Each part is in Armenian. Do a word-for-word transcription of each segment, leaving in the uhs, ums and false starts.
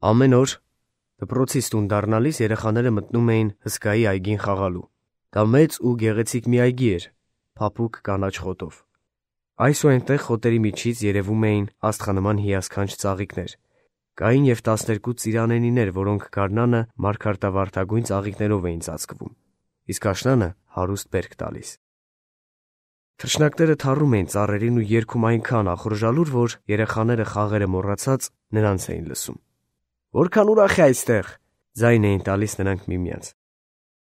Ամեն օր դպրոցից տուն դառնալիս երեխաները մտնում էին հսկայի այգին խաղալու։ Դա մեծ ու գեղեցիկ մի այգի էր, փափուկ կանաչ խոտով։ Այս ու այնտեղ խոտերի միջից երևում էին աստղանման հիասքանչ ծաղիկներ։ Կային և տասներկու ծիրանենիներ, որոնք գարնանը մարգարտավարդագույն ծաղիկներով էին ծածկվում, իսկ աշնանը հարուստ բերք տալիս։ Թռչնակները թառում էին ծառերին ու երգում այնքան ախորժալուր, որ երեխաները խաղերը մոռացած նրանց էին լսում։ «Որքան ուրախ է այստեղ», ձայն էին տալիս նրանք միմյանց,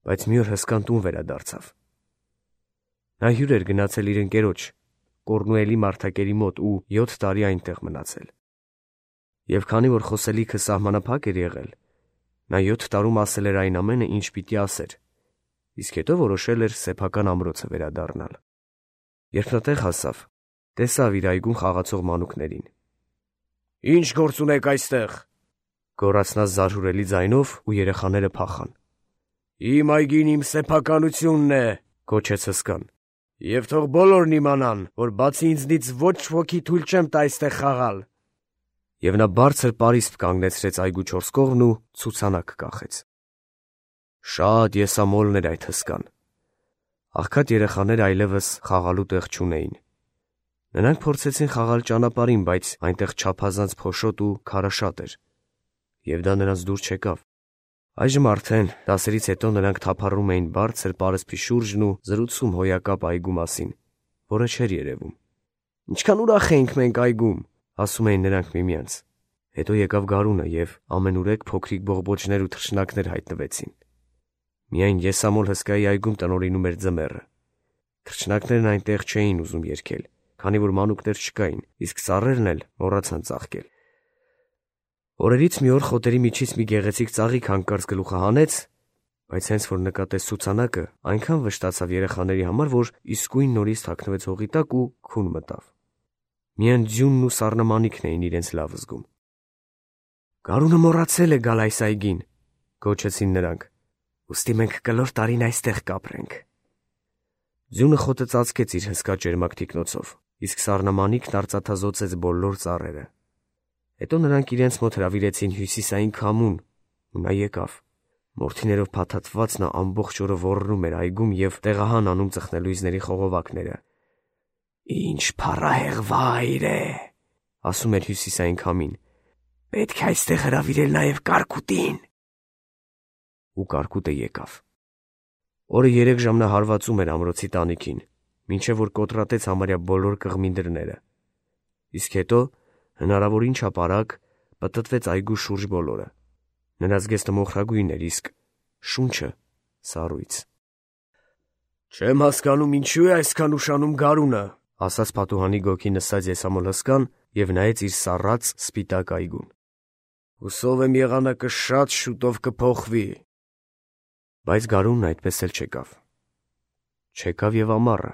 բայց մի օր հսկան տուն վերադարձավ։ Նա հյուր էր գնացել իր ընկերոջ, Կոռնուելի մարդակերի մոտ ու յոթ տարի այնտեղ մնացել։ Եվ քանի որ խոսելիքը սահմանափակ էր եղել, նա յոթ տարում ասել էր այն ամենը, ինչ պիտի ասեր, իսկ հետո որոշել էր սեփական ամրոցը վերադառնալ։ Երբ նա տեղ հասավ, տեսավ իր այգում խաղացող մանուկներին։ «Ի՞նչ գործ ունեք այստեղ», գոռաց նա զարհուրելի ձայնով, ու երեխաները փախան։ «Իմ այգին իմ սեփականությունն է», գոչեց հսկան, «և թող բոլորն իմանան, որ բացի ինձնից ոչ ոքի թույլ չեմ տա այստեղ խաղալ»։ Եվ նա բարձր պարիսպ կանգնեցրեց այգու չորս կողմն ու ցուցանակ կախեց։ Շատ եսամոլն էր այդ հսկան։ Աղքատ երեխաները այլևս խաղալու տեղ չունեին։ Նրանք փորձեցին խաղալ ճանապարհին, բայց այնտեղ չափազանց փոշոտ ու քարաշատ էր, և դա նրանց դուր չեկավ։ Այժմ արդեն դասերից հետո նրանք թափառում էին բարձր պարսպի շուրջն ու զրուցում հոյակապ այգու մասին, որը չէր երևում։ «Ինչքան ուրախ էինք մենք այգում», ասում էին նրանք միմյանց։ Հետո եկավ գարունը, և ամենուրեք փոքրիկ բողբոջներ ու թռչնակներ հայտնվեցին։ Միայն եսամոլ հսկայի այգում տնօրինում էր ձմեռը։ Թռչնակներն այնտեղ չէին ուզում երգել, քանի որ մանուկներ չկային, իսկ ծառերն էլ մոռացան ծաղկել։ Օրերից մի օր խոտերի միջից մի գեղեցիկ ծաղիկ հանկարծ գլուխը հանեց, բայց հենց որ նկատեց ցուցանակը, այնքան վշտացավ երեխաների համար, որ իսկույն նորից թաքնվեց հողի տակ ու քուն մտավ։ Միայն ձյունն ու սառնամանիքն էին իրենց լավ զգում։ «Գարունը մոռացել է գալ այս այգին», գոչեցին նրանք, «ուստի մենք կլոր տարին այստեղ կապրենք»։ Ձյունը խոտը ծածկեց իր հսկա ճերմակ թիկնոցով, իսկ սառնամանիքն արծաթազօծեց բոլոր ծառերը։ Հետո նրանք իրենց մոտ հրավիրեցին հյուսիսային քամուն, ու նա եկավ։ Մորթիներով փաթաթված նա ամբողջ օրը ոռնում էր այգում և տեղահան անում ծխնելույզների խողովակները։ «Ինչ փառահեղ վայր է», ասում էր հյուսիսային քամին, «պետք է այստեղ հրավիրել նաև կարկուտին»։ Ու կարկուտը եկավ։ Օրը երեք ժամ նա հարվածում էր ամրոցի տանիքին, մինչև որ կոտրատեց համարյա բոլոր կղմի դռները։ Իսկ հետո հնարավորին չափ արագ պտտվեց այգու շուրջ բոլորը։ Նրա զգեստը մոխրագույն էր, իսկ շունչը սառույց։ «Չեմ հասկանում, ինչու է այսքան ուշանում գարունը», ասաց պատուհանի գոգի նստած եսամոլ հսկան և նայեց իր սառած սպիտակ այգուն։ «Հուսով եմ եղանակը շատ շուտով կփոխվի»։ Բայց գարունն այդպես էլ չեկավ։ Չեկավ և ամառը։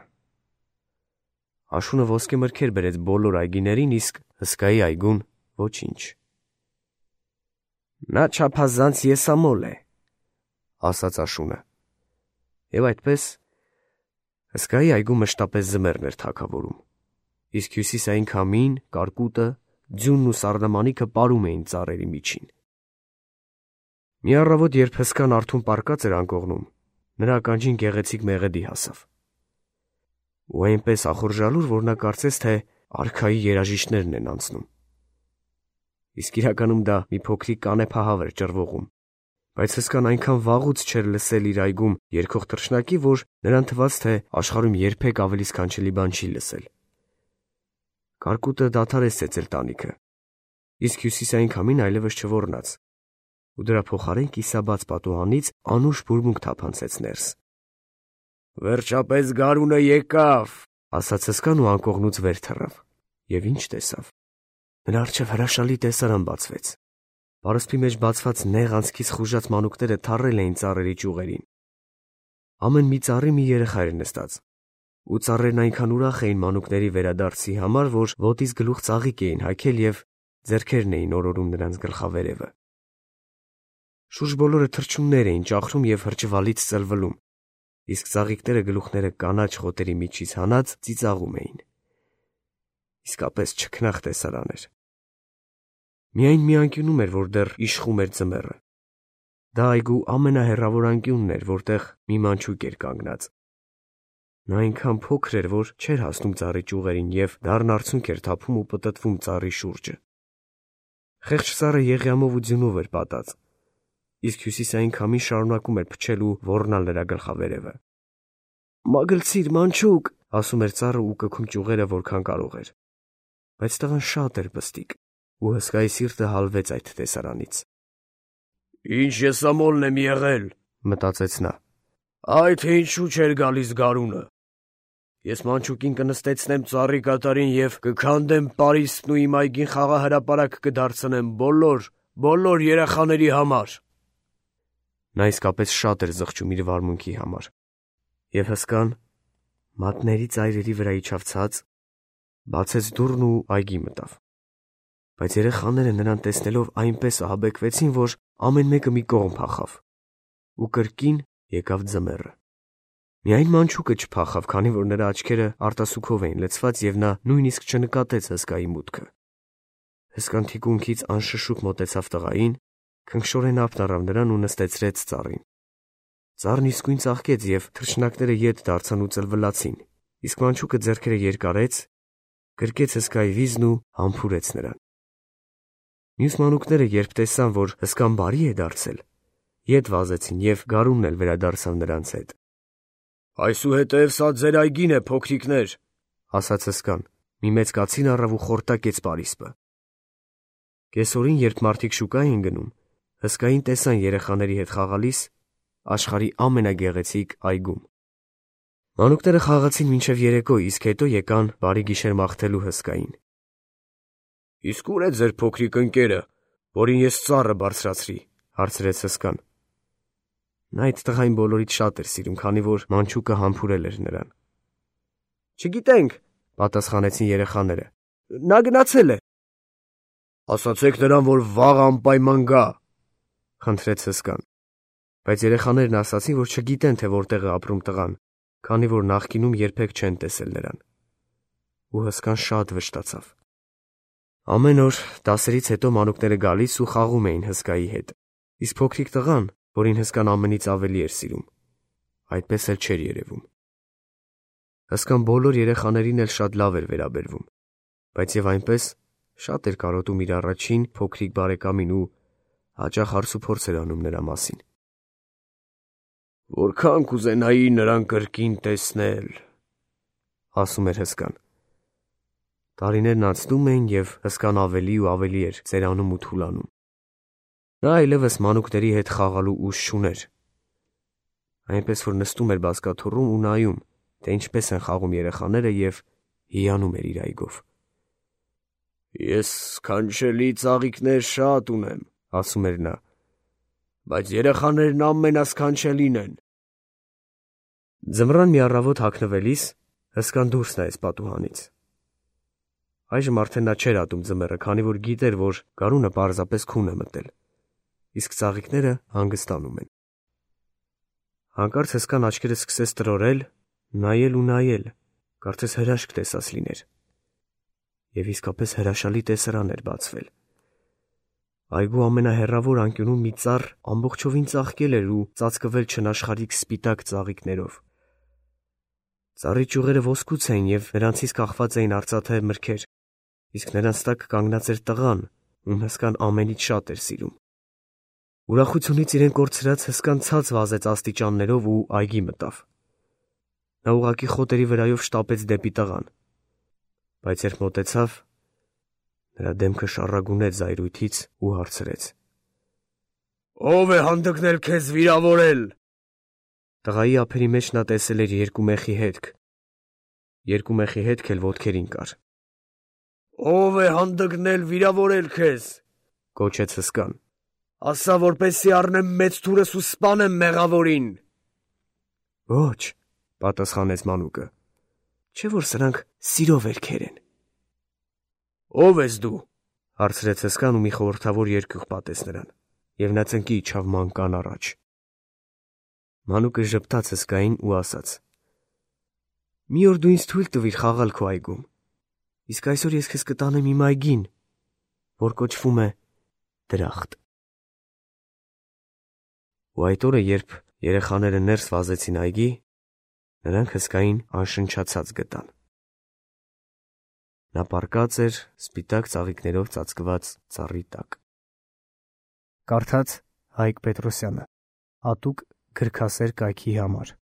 Աշունը ոսկե մրգեր բերեց բոլոր այգիներին, իսկ հսկայի այգուն ոչինչ։ «Նա չափազանց եսամոլ է», ասաց աշունը։ Եվ այդպես հսկայի այգում մշտապես ձմեռն էր թագավորում, իսկ հյուսիսային քամին, կարկուտը, ձյունն ու սառնամանիքը պարում էին ծառերի միջին։ Մի առավոտ, երբ հսկան արթուն պառկած էր անկողնում, նրա ականջին գեղեցիկ մեղեդի հասավ։ Ու այնպես ախորժալուր, որ նա կարծեց, թե արքայի երաժիշտներն են անցնում։ Իսկ իրականում դա մի փոքրիկ կանեփահավ էր ճռվողում, բայց հսկան այնքան վաղուց չէր լսել իր այգում երգող թռչնակի, որ նրան թվաց, թե աշխարհում երբեք ավելի սքանչելի բան չի լսել։ Կարկուտը դադարեց ծեծել տանիքը, իսկ հյուսիսային քամին այլևս չոռնաց, ու դրա փոխարեն կիսաբաց պատուհանից անուշ բուրմունք թափանցեց ներս։ «Վերջապես գարունը եկավ», ասաց հսկան ու անկողնուց վեր թռավ։ Եվ ինչ տեսավ։ Նրա առջև հրաշալի տեսարան բացվեց։ Պարսպի մեջ բացված նեղ անցքից խուժած մանուկները թառել էին ծառերի ճյուղերին։ Ամեն մի ծառի մի երեխա էր նստած, ու ծառերն այնքան ուրախ էին մանուկների վերադարձի համար, որ ոտից գլուխ ծաղիկ էին հագել և ձեռքերն էին օրորում նրանց գլխավերևը։ Շուրջ բոլորը թռչուններ էին ճախրում և հրճվալից ծլվլում, իսկ ծաղիկները գլուխները կանաչ խոտերի միջից հանած ծիծաղում էին։ Իսկապես չքնաղ տեսարան էր։ Միայն մի անկյունում էր, որ դեռ իշխում էր ձմեռը։ Դա այգու ամենահեռավոր անկյունն էր, որտեղ մի մանչուկ էր կանգնած։ Նա այնքան փոքր էր, որ չէր հասնում ծառի ճյուղերին և դառն արցունք էր թափում ու պտտվում ծառի շուրջը։ Խեղճ ծառը եղյամով ու ձյունով էր պատած, իսկ հյուսիսային քամին շարունակում էր փչել ու ոռնալ նրա գլխավերևը։ «Մագլցիր, մանչուկ», ասում էր ծառը ու կքում ճյուղերը որքան կարող էր։ Բայց տղան շատ էր պստիկ, ու հսկայի սիրտը հալվեց այդ տեսարանից։ «Ինչ եսամոլն եմ եղել», մտածեց նա։ «Այ թե ինչու չէր գալիս գարունը։ Ես մանչուկին կնստեցնեմ ծառի կատարին և կքանդեմ Պարիսպն ու իմ այգին խաղահրապարակ կդարձնեմ բոլոր, բոլոր երեխաների համար»։ Նա իսկապես շատ էր զղջում իր վարմունքի համար։ Եվ հսկան մատների ծայրերի վրա իջավ ցած, բացեց դուռն ու այգի մտավ։ Բայց երեխաները նրան տեսնելով այնպես ահաբեկվեցին, որ ամեն մեկը մի կողմ փախավ, ու կրկին եկավ ձմեռը։ Միայն մանչուկը չփախավ, քանի որ նրա աչքերը արտասուքով էին լցված, և նա նույնիսկ չնկատեց հսկայի մուտքը։ Հսկան թիկունքից անշշուկ մոտեցավ տղային, քնքշորեն ափն առավ նրան ու նստեցրեց ծառին։ Ծառն իսկույն ծաղկեց, և թռչնակները ետ դարձան ու ծլվլացին, իսկ մանչուկը ձեռքերը երկարեց, գրկեց հսկայի վիզն ու համբուրեց նրան։ Մյուս մանուկները, երբ տեսան, որ հսկան բարի է դարձել, ետ վազեցին, և գարունն էլ վերադարձավ նրանց հետ։ «Այսուհետև սա ձեր այգին է, փոքրիկներ», ասաց հսկան, մի մեծ կացին առավ ու խորտակեց Պարիսպը։ Կեսօրին, երբ մարդիկ շուկա էին գնում, հսկային տեսան երեխաների հետ խաղալիս աշխարհի ամենագեղեցիկ այգում։ Մանուկները խաղացին մինչև երեկո, իսկ հետո եկան բարի գիշեր մաղթելու հսկային։ «Իսկ ո՞ւր է ձեր փոքրիկ ընկերը, որին ես ծառը բարձրացրի», հարցրեց հսկան։ Նա այդ տղային բոլորից շատ էր սիրում, քանի որ մանչուկը համբուրել էր նրան։ «Չգիտենք», պատասխանեցին երեխաները։ «Նա գնացել է»։ «Ասացեք նրան, որ վաղ անպայման գա», խնդրեց հսկան։ Բայց երեխաներն ասացին, որ չգիտեն, թե որտեղ է ապրում տղան, քանի որ նախկինում երբեք չեն տեսել նրան։ Ու հսկան շատ վշտացավ։ Ամեն օր դասերից հետո մանուկները գալիս ու խաղում էին հսկայի հետ, իսկ փոքրիկ տղան, որին հսկան ամենից ավելի էր սիրում, այդպես էլ չէր երևում։ Հսկան բոլոր երեխաներին էլ շատ լավ էր վերաբերվում, բայց եւ այնպես շատ էր կարոտում իր առաջին փոքրիկ բարեկամին ու հաճախ հարցուփորձ էր անում նրա մասին։ «Որքան կուզենայի նրան կրկին տեսնել», ասում էր հսկան։ Տարիներն անցնում էին, և հսկան ավելի ու ավելի էր ծերանում ու թուլանում։ Նա այլևս մանուկների հետ խաղալու ուժ չուներ։ Այնպես որ նստում էր բազկաթոռում ու նայում, թե ինչպես են խաղում երեխաները, և հիանում էր իր այգով։ «Ես սքանչելի ծաղիկներ շատ ունեմ», ասում էր նա, «բայց երեխաներն ամենասքանչելին են»։ Ձմռան մի առավոտ հագնվելիս հսկան դուրս նայեց պատուհանից։ Այժմ արդեն նա չէր ատում ձմեռը, քանի որ գիտեր, որ գարունը պարզապես քուն է մտել, իսկ ծաղիկները հանգստանում են։ Հանկարծ հսկան աչքերը սկսեց տրորել, նայել ու նայել, կարծես հրաշք տեսած լիներ։ Եվ իսկապես հրաշալի տեսարան էր բացվել։ Այգու ամենահեռավոր անկյունում մի ծառ ամբողջովին ծաղկել էր ու ծածկվել չնաշխարհիկ սպիտակ ծաղիկներով։ Ծառի ճյուղերը ոսկուց էին և նրանցից կախված էին արծաթե մրգեր, իսկ նրանց տակ կանգնած էր տղան, ում հսկան ամենից շատ էր սիրում։ Ուրախությունից իրեն կորցրած հսկան ցած վազեց աստիճաններով ու այգի մտավ։ Նա ուղղակի խոտերի վրայով շտապեց դեպի տղան, բայց երբ մոտեցավ, նրա դեմքը շառագունեց զայրույթից ու հարցրեց. «Ո՞վ է հանդգնել քեզ վիրավորել»։ Տղայի ափերի մեջ նա տեսել էր երկու մեխի հետք, երկու մեխի հետք էլ ոտքերին կար։ «Ո՞վ է հանդգնել վիրավորել քեզ», կոչեց հսկան։ «Ասա, որպեսզի առնեմ մեծ թուրս ու սպանեմ մեղավորին»։ «Ոչ», պատասխանեց մանուկը, «չէ՞ որ սրանք սիրո վերքեր են»։ «Ո՞վ ես դու», հարցրեց հսկան ու մի խորհրդավոր երկյուղ պատեց նրան, և նա ծնկի իջավ մանկան առաջ։ Մանուկը ժպտաց հսկային ու ասաց. «Մի օր դու ինձ թույլ տվիր խաղալ քո այգում, իսկ այսօր ես քեզ կտանեմ իմ այգին, որ կոչվում է դրախտ։ Ու այդ օրը, երբ երեխաները ներս վազեցին այգի, նրանք հսկային անշնչացած գտան։ Նա պառկած էր սպիտակ ծաղիկներով ծածկված ծառի տակ։ Կարդաց Հայկ Պետրոսյանը, հատուկ գրքասեր կայքի համար։